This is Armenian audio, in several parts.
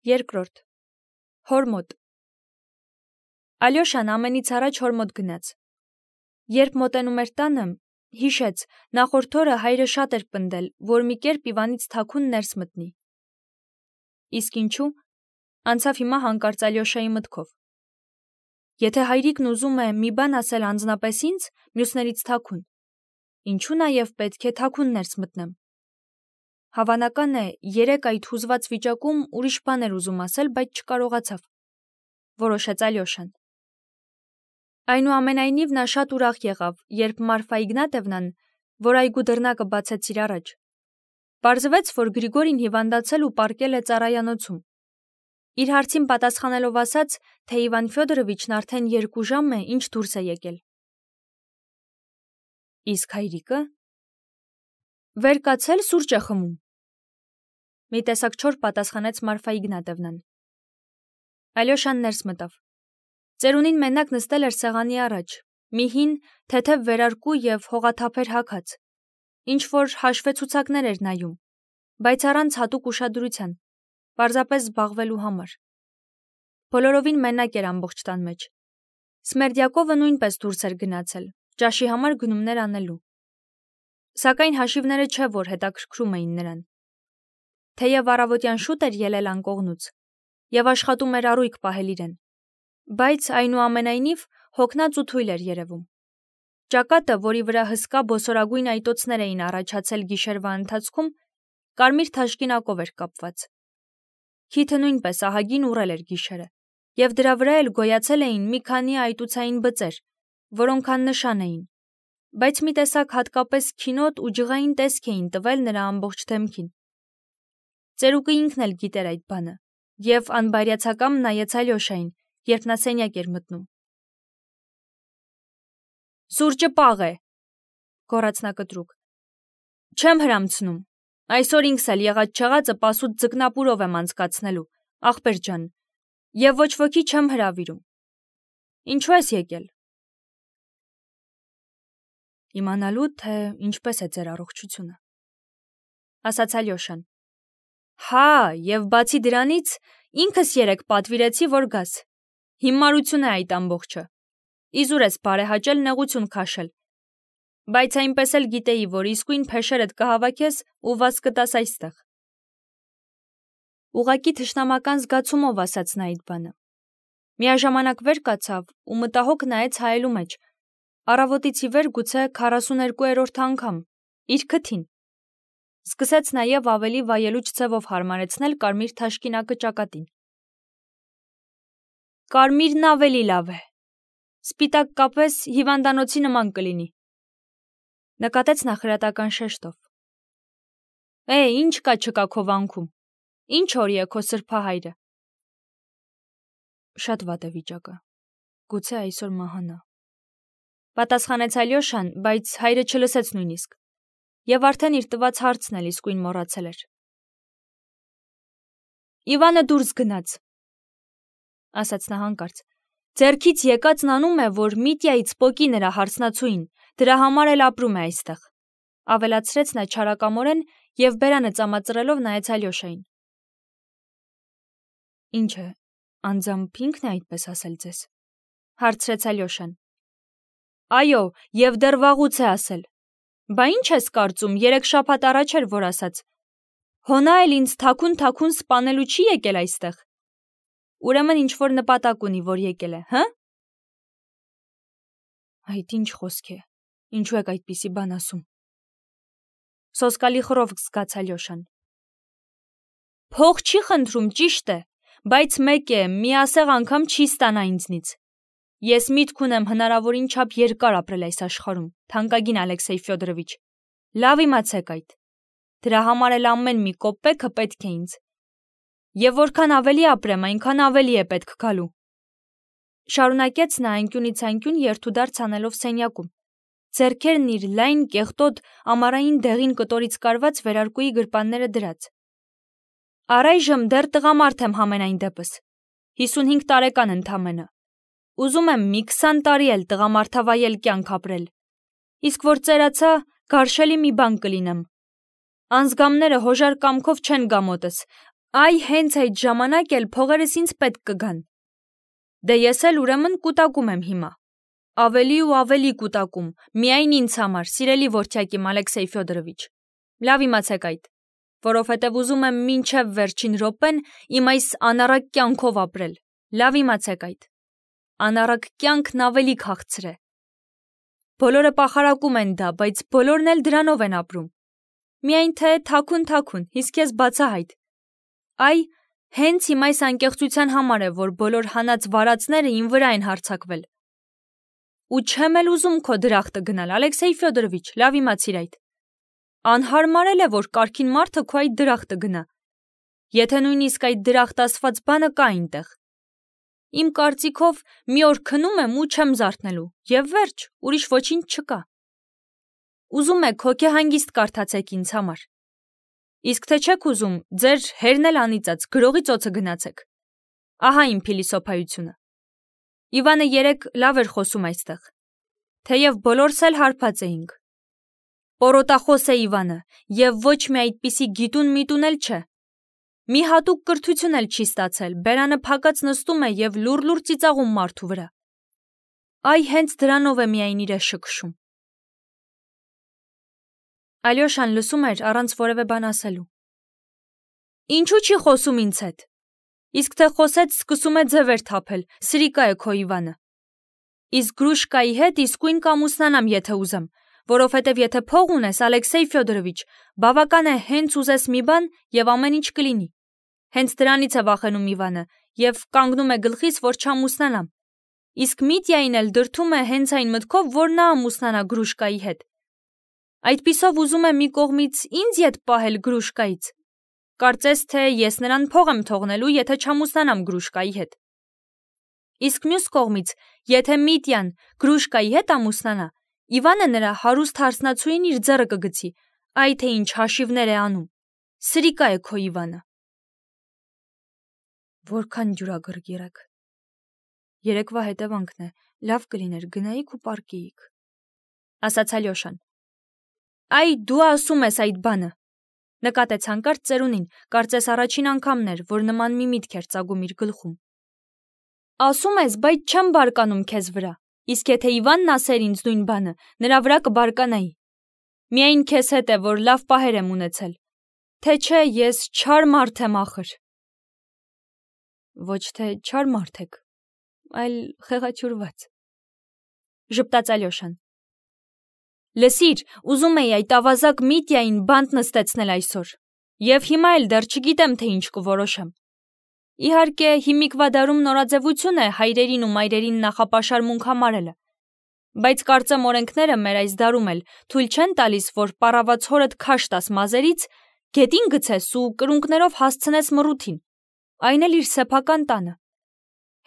Երկրորդ. հոր մոտ։ Ալյոշան ամենից առաջ հոր մոտ գնաց։ Երբ մոտենում էր տանը, հիշեց, նախորդ օրը հայրը շատ էր պնդել, որ մի կերպ Իվանից թաքուն ներս մտնի։ Իսկ ինչու, անցավ հիմա հանկարծ Ալյոշայի մտքով։ Եթե հայրիկն ուզում է մի բան ասել անձնապես ինձ, մյուսներից թաքուն, ինչու նաև պետք է թաքուն ներս մտնեմ։ Հավանական է, երեկ այդ հուզված վիճակում ուրիշ բան էր ուզում ասել, բայց չկարողացավ, որոշեց Ալյոշան։ Այնուամենայնիվ նա շատ ուրախ եղավ, երբ Մարֆա Իգնատևնան, որ այգու դռնակը բացեց իր առաջ, պարզվեց, որ Գրիգորին հիվանդացել ու պառկել է ծառայանոցում։ Իր հարցին պատասխանելով ասաց, թե Իվան Ֆյոդորովիչն արդեն 2 ժամ է, ինչ դուրս է եկել։ Իսկ հայրիկը վեր կացել սուրճ է խմում։ Մի տեսակ չոր պատասխանեց Մարֆա Իգնատևնան։ Ալյոշան ներս մտավ։ Ծերունին մենակ նստել էր սեղանի առաջ, մի հին, թեթև վերարկու և հողաթափեր հագած, ինչ-որ հաշվեցուցակներ էր նայում, բայց առանց հատուկ ուշադրության, պարզապես զբաղվելու համար։ Բոլորովին մենակ էր ամբողջ տան մեջ։ Սմերդյակովը նույնպես դուրս էր գնացել, ճաշի համար գնումներ անելու։ Սակայն հաշիվները չէ, որ հետաքրքրում էին նրան։ Թեև առավոտյան շուտ էր ելել անկողնուց և աշխատում էր առույգ պահել իրեն, բայց այնուամենայնիվ հոգնած ու թույլ էր երևում։ Ճակատը, որի վրա հսկա բոսորագույն այտոցներ էին առաջացել գիշերվա ընթացքում, կարմիր թաշկինակով էր կապված։ Քիթը նույնպես ահագին ուռել էր գիշերը, և դրա վրա էլ գոյացել էին մի քանի այտուցային բծեր, որոնք աննշան էին, բայց մի տեսակ հատկապես քինոտ ու ջղային տեսք էին տվել նրա ամբողջ դեմքին։ Ծերուկը ինքն էլ գիտեր այդ բանը, և անբարյացակամ նայեց Ալյոշային, երբ նա սենյակ էր մտնում։ Սուրճը պաղ է, գոռաց նա կտրուկ։ Չեմ հրամցնում, այսօր ինքս էլ եղած-չեղածը պասուտ ձկնապուրով եմ անցկացնելու, ախպեր ջան, և ոչ ոքի չեմ հրավիրում։ Ինչու ես եկել։ Իմանալու, թե ինչպես է ձեր առողջությունը, ասաց Ալյոշան։ Հա, և բացի դրանից, ինքս երեկ պատվիրեցի, որ գաս։ Հիմարություն է այդ ամբողջը։ Իզուր ես բարեհաճել նեղություն քաշել։ Բայց այնպես էլ գիտեի, որ իսկույն փեշերդ կհավաքես ու վազ կտաս այստեղ։ Ուղղակի թշնամական զգացումով ասաց նա այդ բանը։ Միաժամանակ վեր կացավ ու մտահոգ նայեց հայելու մեջ, առավոտից ի վեր գուցե 42-րդ անգամ, իր քթին։ Սկսեց նաև ավելի վայելուչ ձևով հարմարեցնել կարմիր թաշկինակը ճակատին։ Կարմիրն ավելի լավ է։ Սպիտակ կապես հիվանդանոցի նման կլինի։ Նկատեց նա խրատական շեշտով։ Ինչ կա չկա քո վանքում։ Ինչ օրի է քո սրբահայրը։ Շատ վատ է վիճակը։ Գուցե այսօր մահանա։ Պատասխանեց Ալյոշան, բայց հայրը չլսեց նույնիսկ, և արդեն իր տված հարցն էլ իսկույն մոռացել էր։ Իվանը դուրս գնաց, ասաց նա հանկարծ։ Ձեռքից եկածն անում է, որ Միտյայից պոկի նրա հարցնացուին, դրա համար էլ ապրում է այստեղ, ավելացրեց նա չարակամորեն և բերանը ծամածրելով նայեց Ալյոշային։ Ինչ է, անձամբ ինքն է այդպես ասել ձեզ, հարցրեց Ալյոշան։ Այո, և դեռ վաղուց է ասել։ Բա ինչ ես կարծում, 3 շաբաթ առաջ էր, որ ասաց։ Հոնա էլ ինձ թաքուն սպանելու չի եկել այստեղ։ Ուրեմն ինչ-որ նպատակ ունի, որ եկել է, հը։ Այդ ինչ խոսք է, ինչու եք այդպիսի բան ասում։ Սոսկալի խռովք զգաց Ալյոշան։ Փող չի խնդրում, ճիշտ է, բայց մեկ է, մի ասեղ անգամ չի ստանա ինձնից։ Ես միտք ունեմ հնարավորին չափ երկար ապրել այս աշխարհում, թանկագին Ալեքսեյ Ֆյոդորովիչ, լավ իմացեք այդ։ Դրա համար էլ ամեն մի կոպեկը պետք է ինձ։ Եվ որքան ավելի ապրեմ, այնքան ավելի է պետք գալու։ Շարունակեց նա անկյունից անկյուն երթուդարձ անելով սենյակում, ձեռքերն իր լայն, կեղտոտ, ամառային դեղին կտորից կարված վերարկուի գրպանները դրած։ Առայժմ դեռ տղամարդ եմ համենայն դեպս, 55 տարեկան ընդամենը։ Ուզում եմ մի 20 տարի էլ տղամարդավայել կյանք ապրել։ Իսկ որ ծերացա, գարշելի մի բան կլինեմ։ Անձգամները հոժար կամքով չեն գա մոտս, Այ հենց այդ ժամանակ էլ փողերս ինձ պետք կգան։ Դե ես էլ ուրեմն կուտակում եմ հիմա։ Ավելի ու ավելի կուտակում, միայն ինձ համար, սիրելի որդյակիմ Ալեքսեյ Ֆյոդորովիչ։ Լավ իմացեք այդ, որովհետև ուզում եմ մինչև վերջին րոպեն իմ այս անառակ կյանքով ապրել։ Լավ իմացեք այդ։ Անառակ կյանքն ավելի քաղցր է։ Բոլորը պախարակում են դա, բայց բոլորն էլ դրանով են ապրում։ Միայն թե թաքուն, իսկ ես բացահայտ։ Այ, հենց իմ այս անկեղծության համար է, որ բոլոր հանած վարածները իմ վրա են հարձակվել։ Ու չեմ էլ ուզում քո դրախտը գնալ, Ալեքսեյ Ֆյոդորովիչ, լավ իմացիր այդ։ Անհարմարել է, որ կարգին մարդը քո այդ դրախտը գնա։ Եթե նույնիսկ այդ դրախտ ասված բանը կա այնտեղ։ Իմ կարծիքով մի օր քնում եմ ու չեմ զարթնելու, եւ վերջ, ուրիշ ոչինչ չկա։ Ուզում եք հոգեհանգիստ կարդացեք ինձ համար։ Իսկ թե չեք ուզում, ձեր հերն էլ անիծած, գրողի ծոցը գնացեք։ Ահա իմ փիլիսոփայությունը։ Իվանը երեկ լավ էր խոսում այստեղ։ Թեև բոլորս էլ հարբած էինք։ Պորոտախոս է Իվանը, եւ ոչ մի այդպիսի գիտուն միտուն էլ չէ։ Մի հատուկ կրթություն էլ չի ստացել, բերանը փակած նստում է եւ լուռ ծիծաղում մարդու վրա։ Այ հենց դրանով է միայն իրը շքշում։ Ալյոշան լսում էր առանց որևէ բան ասելու։ Ինչու չի խոսում ինձ հետ։ Իսկ թե խոսեց, սկսում է ձևեր թափել, սրիկա է քո Իվանը։ Իսկ Գրուշկայի հետ իսկույն կամուսնանամ, եթե ուզեմ, որովհետև եթե փող ունես, Ալեքսեյ Ֆյոդորովիչ, բավական է հենց ուզես մի բան եւ ամեն ինչ կլինի։ Հենց դրանից է վախենում Իվանը եւ կանգնում է գլխիս, որ չամուսնանամ։ Իսկ Միտյային էլ դրթում է հենց այն մտքով, որ նա ամուսնանա Գրուշկայի հետ։ Այդպիսով ուզում է մի կողմից ինձ ետ պահել Գրուշկայից։ Կարծես թե ես նրան փող եմ թողնելու, եթե չամուսնանամ Գրուշկայի հետ։ Իսկ մյուս կողմից, եթե Միտյան Գրուշկայի հետ ամուսնանա, Իվանը նրա հարուստ հարսնացուին իր ձեռը կգցի, այ թե ինչ հաշիվներ է անում։ Սրիկա է քո Իվանը։ Որքան ջուրագրգիռ եք։ Երեկվա հետևանքն է, լավ կլիներ գնայիք ու պարկեիք, ասաց Ալյոշան։ Այ դու ասում ես այդ բանը, նկատեց հանկարծ ծերունին, կարծես առաջին անգամն էր, որ նման մի միտք էր ծագում իր գլխում։ Ասում ես, բայց չեմ բարկանում քեզ վրա, իսկ եթե Իվանն ասեր ինձ նույն բանը, նրա վրա կբարկանայի։ Միայն քեզ հետ է, որ լավ պահեր եմ ունեցել, թե չէ ես չար մարդ եմ ախր։ Ոչ թե չար մարդ եք, այլ խեղաչուրված, ժպտաց Ալյոշան։ Լսիր, ուզում էի այդ ավազակ Միտյային բանտ նստեցնել այսօր, եւ հիմա էլ դեռ չգիտեմ, թե ինչ կորոշեմ։ Իհարկե, հիմիկվա դարում նորաձևություն է հայրերին ու մայրերին նախապաշարմունք համարելը, բայց կարծեմ օրենքները մեր այս դարում էլ թույլ չեն տալիս, որ պառաված հորդ քաշ տաս մազերից, գետին գցես ու կրունկներով հասցնես մռութին, այն էլ իր սեփական տանը։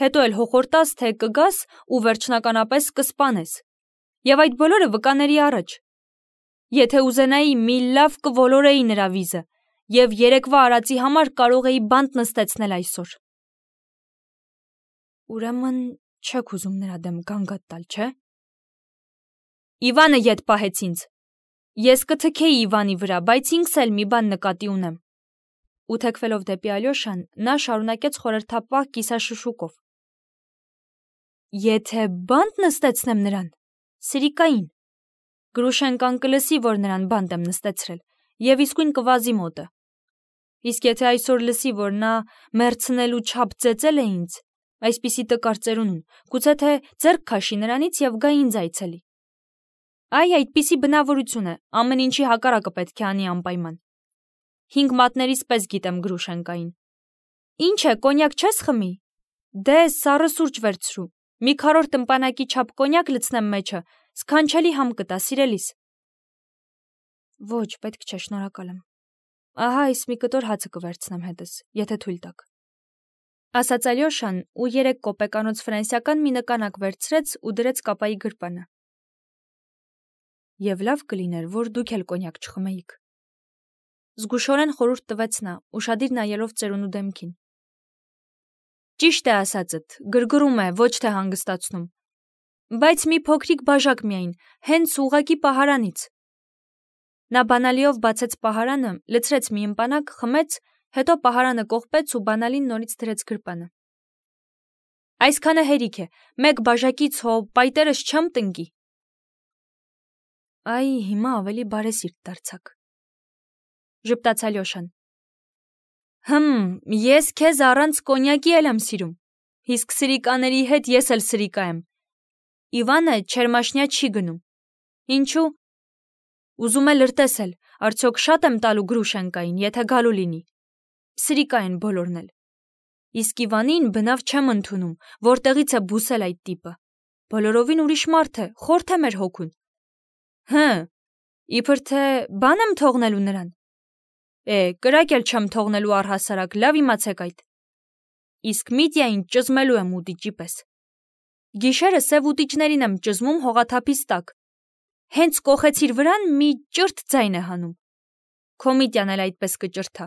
Հետո էլ հոխորտաս, թե կգաս ու վերջնականապես կսպանես։ Եվ այդ բոլորը վկաների առաջ։ Եթե ուզենայի, մի լավ կոլորեի նրա վիզը, եւ երեկվա արածի համար կարող էի բանտ նստեցնել այսօր։ Ուրեմն չեք ուզում նրա դեմ գանգատ տալ, չէ՞։ Իվանը ետ պահեց ինձ։ Ես կթքեի Իվանի վրա, բայց ինքս էլ մի բան նկատի ունեմ։ Ու թեքվելով դեպի Ալյոշան, նա շարունակեց խորհրդապահ կիսաշշուկով։ Եթե բանտ նստեցնեմ նրան, սրիկային, Գրուշենկան կլսի, որ նրան բանտ եմ նստեցրել, եւ իսկույն կվազի մոտը։ Իսկ եթե այսօր լսի, որ նա մերցնելու չափ ծեծել է ինձ, այսպիսի տկար ծերունուն, գուցե թե ձեռք քաշի նրանից եւ գա ինձ այցելի։ Այ այդպիսի բնավորություն է, ամեն ինչի հակառակը պետք է անի անպայման։ 5 մատներից պես գիտեմ Գրուշենկային։ Ինչ է, կոնյակ չես խմի։ Դե սառը սուրճ վերցրու։ Մի քառորդ ըմպանակի չափ կոնյակ լցնեմ մեջը, սքանչելի համ կտա, սիրելիս։ Ոչ, պետք չէ, շնորհակալ եմ։ Ահա այս մի կտոր հացը կվերցնեմ հետս, եթե թույլ տաք։ Ասաց Ալյոշան ու 3 կոպեկանոց ֆրանսիական մի նկանակ վերցրեց ու դրեց կապայի գրպանը։ Եվ լավ կլիներ, որ դուք էլ կոնյակ չխմեիք։ Զգուշորեն խորհուրդ տվեց նա, ուշադիր նայելով ծերունու դեմքին։ Ճիշտ է ասածդ, գրգռում է, ոչ թե հանգստացնում։ Բայց մի փոքրիկ բաժակ միայն, հենց ուղակի պահարանից։ Նա բանալիով բացեց պահարանը, լցրեց մի ըմպանակ, խմեց Հետո պահարանը կողպեց ու բանալին նորից դրեց գրպանը։ Այսքանը հերիք է, մեկ բաժակից հո պայտերս չեմ տնկի։ Այ հիմա ավելի բարեսիրտ դարձաք, ժպտաց Ալյոշան։ Ես քեզ առանց կոնյակի էլ եմ սիրում, իսկ սրիկաների հետ ես էլ սրիկա եմ։ Իվանը չերմաշնյա չի գնում։ Ինչու։ Ուզում է լրտեսել, արդյոք շատ եմ տալու Գրուշենկային, եթե գալու լինի։ Սրիկա են բոլորն էլ։ Իսկ Իվանին բնավ չեմ ընդունում, որտեղից է բուսել այդ տիպը։ Բոլորովին ուրիշ մարդ է, խորթ է մեր հոգուն։ Իբր թե բան եմ թողնելու նրան։ Կրակ էլ չեմ թողնելու առհասարակ, լավ իմացեք այդ։ Իսկ Միտյային ճզմելու եմ ուտիճի պես։ Գիշերը սև ուտիճներին եմ ճզմում հողաթափից տակ։ Հենց կոխեցիր վրան մի ճրտ ձայն է հանում։ Քո Միտյան էլ այդպես կճրթա։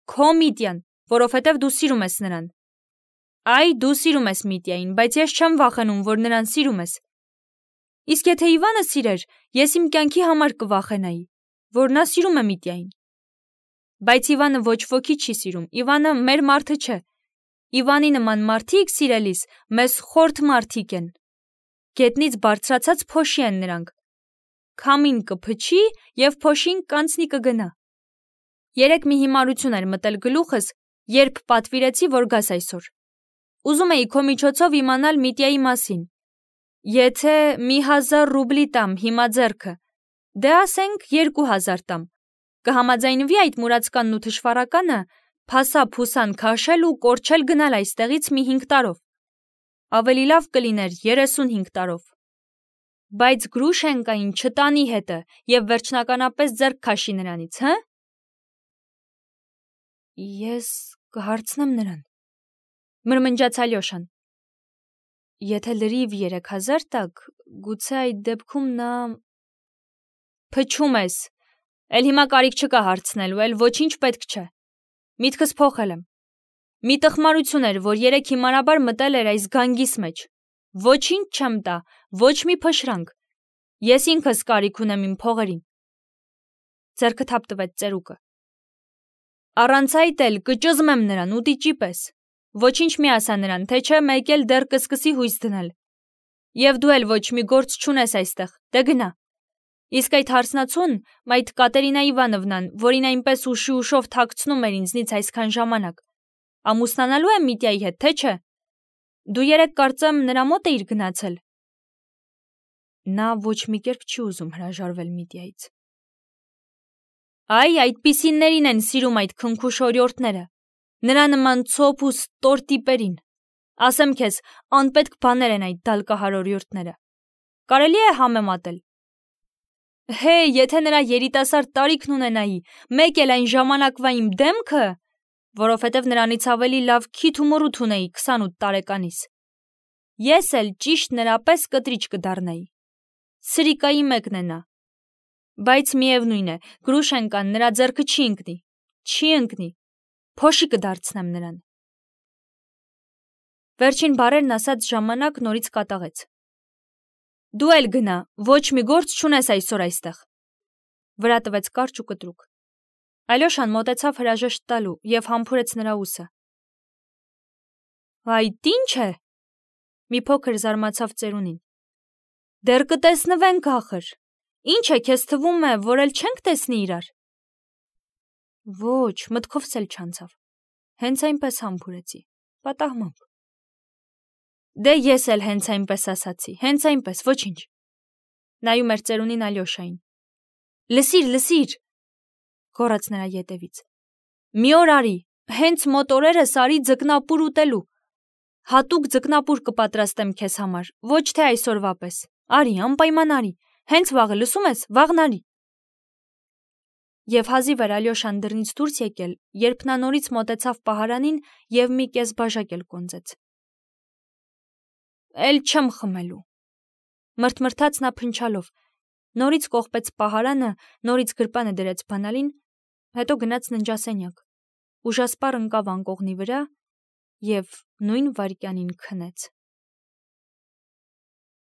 Քո Միտյան, որովհետև դու սիրում ես նրան։ Այ դու սիրում ես Միտյային, բայց ես չեմ վախենում, որ նրան սիրում ես։ Իսկ եթե Իվանը սիրեր, ես իմ կյանքի համար կվախենայի, որ նա սիրում է Միտյային։ Բայց Իվանը ոչ ոքի չի սիրում, Իվանը մեր մարդը չէ։ Իվանի նման մարդիկ սիրելիս մեզ խորթ մարդիկ են։ Գետնից բարձրացած փոշի են նրանք։ Քամին կփչի և փոշին կանցնի կգնա։ Երեկ մի հիմարություն էր մտել գլուխս, երբ պատվիրեցի, որ գաս այսօր։ Ուզում էի քո միջոցով իմանալ Միտյայի մասին։ Եթե 1000 ռուբլի տամ հիմա ձեռքը, դե ասենք 2000 տամ, կհամաձայնվի այդ մուրացկանն ու թշվառականը փասա-փուսան քաշել ու կորչել գնալ այստեղից մի 5 տարով։ Ավելի լավ կլիներ 35 տարով։ Բայց Գրուշենկային չտանի հետը և վերջնականապես ձեռք քաշի նրանից, Ես կհարցնեմ նրան, մրմնջաց Ալյոշան։ Եթե լրիվ 3000 տաք, գուցե այդ դեպքում նա… Փչում ես, էլ հիմա կարիք չկա հարցնելու, էլ ոչինչ պետք չէ։ Միտքս փոխել եմ։ Մի տխմարություն էր, որ երեկ հիմարաբար մտել էր այս գանգիս մեջ։ Ոչինչ չեմ տա, ոչ մի փշրանք։ Ես ինքս կարիք ունեմ իմ փողերին։ Ձեռքը թափ տվեց ծերուկը։ Առանց այդ էլ կճզմեմ նրան ուտիճի պես։ Ոչինչ մի ասա նրան, թե չէ մեկ էլ դեռ կսկսի հույս դնել։ Եվ դու էլ ոչ մի գործ չունես այստեղ, դե գնա։ Իսկ այդ հարցնացուն, այդ Կատերինա Իվանովնան, որին այնպես ուշով թաքցնում էր ինձնից այսքան ժամանակ, ամուսնանալու է Միտյայի հետ, թե չէ։ Դու երեկ կարծեմ նրա մոտ էիր գնացել։ Նա ոչ մի կերպ չի ուզում հրաժարվել Միտյայից։ Այ այդպիսիներին են սիրում այդ քնքուշ օրիորդները, նրա նման ցոփ ու ստոր տիպերին։ Ասեմ քեզ, անպետք բաներ են այդ դալկահար օրիորդները։ Կարելի է համեմատել։ Եթե նրա երիտասարդ տարիքն ունենայի, մեկ էլ այն ժամանակվա իմ դեմքը, որովհետև նրանից ավելի լավ քիթ ու մռութ ունեի 28 տարեկանիս, ես էլ ճիշտ նրա պես կտրիչ կդառնայի։ Սրիկայի մեկն է նա։ Բայց միևնույն է, Գրուշենկան նրա ձեռքը չի ընկնի, փոշի կդարձնեմ նրան։ Վերջին բառերն ասած ժամանակ նորից կատաղեց։ Դու էլ գնա, ոչ մի գործ չունես այսօր այստեղ։ Վրա տվեց կարճ ու կտրուկ։ Ալյոշան մոտեցավ հրաժեշտ տալու և համբուրեց նրա ուսը։ Այդ ի՞նչ է։ Մի փոքր զարմացավ ծերունին։ Դեռ կտեսնվենք ախր։ Ինչ է, քեզ թվում է, որ էլ չենք տեսնի իրար։ Ոչ, մտքովս էլ չանցավ։ Հենց այնպես համբուրեցի, պատահմամբ։ Դե ես էլ հենց այնպես ասացի, հենց այնպես, ոչինչ։ Նայում էր ծերունին Ալյոշային։ Լսիր, գոռաց նրա ետևից։ Մի օր արի, հենց մոտ օրերս արի ձկնապուր ուտելու։ Հատուկ ձկնապուր կպատրաստեմ քեզ համար, ոչ թե այսօրվա պես։ Արի, անպայման արի, հենց վաղը, լսում ես, վաղն արի։ Եվ հազիվ էր Ալյոշան դռնից դուրս եկել, երբ նա նորից մոտեցավ պահարանին և մի կես բաժակ էլ կոնծեց։ Էլ չեմ խմելու, մրթմրթաց նա փնչալով, նորից կողպեց պահարանը, նորից գրպանը դրեց բանալին, հետո գնաց ննջասենյակ, ուժասպառ ընկավ անկողնի վրա և նույն վայրկյանին քնեց։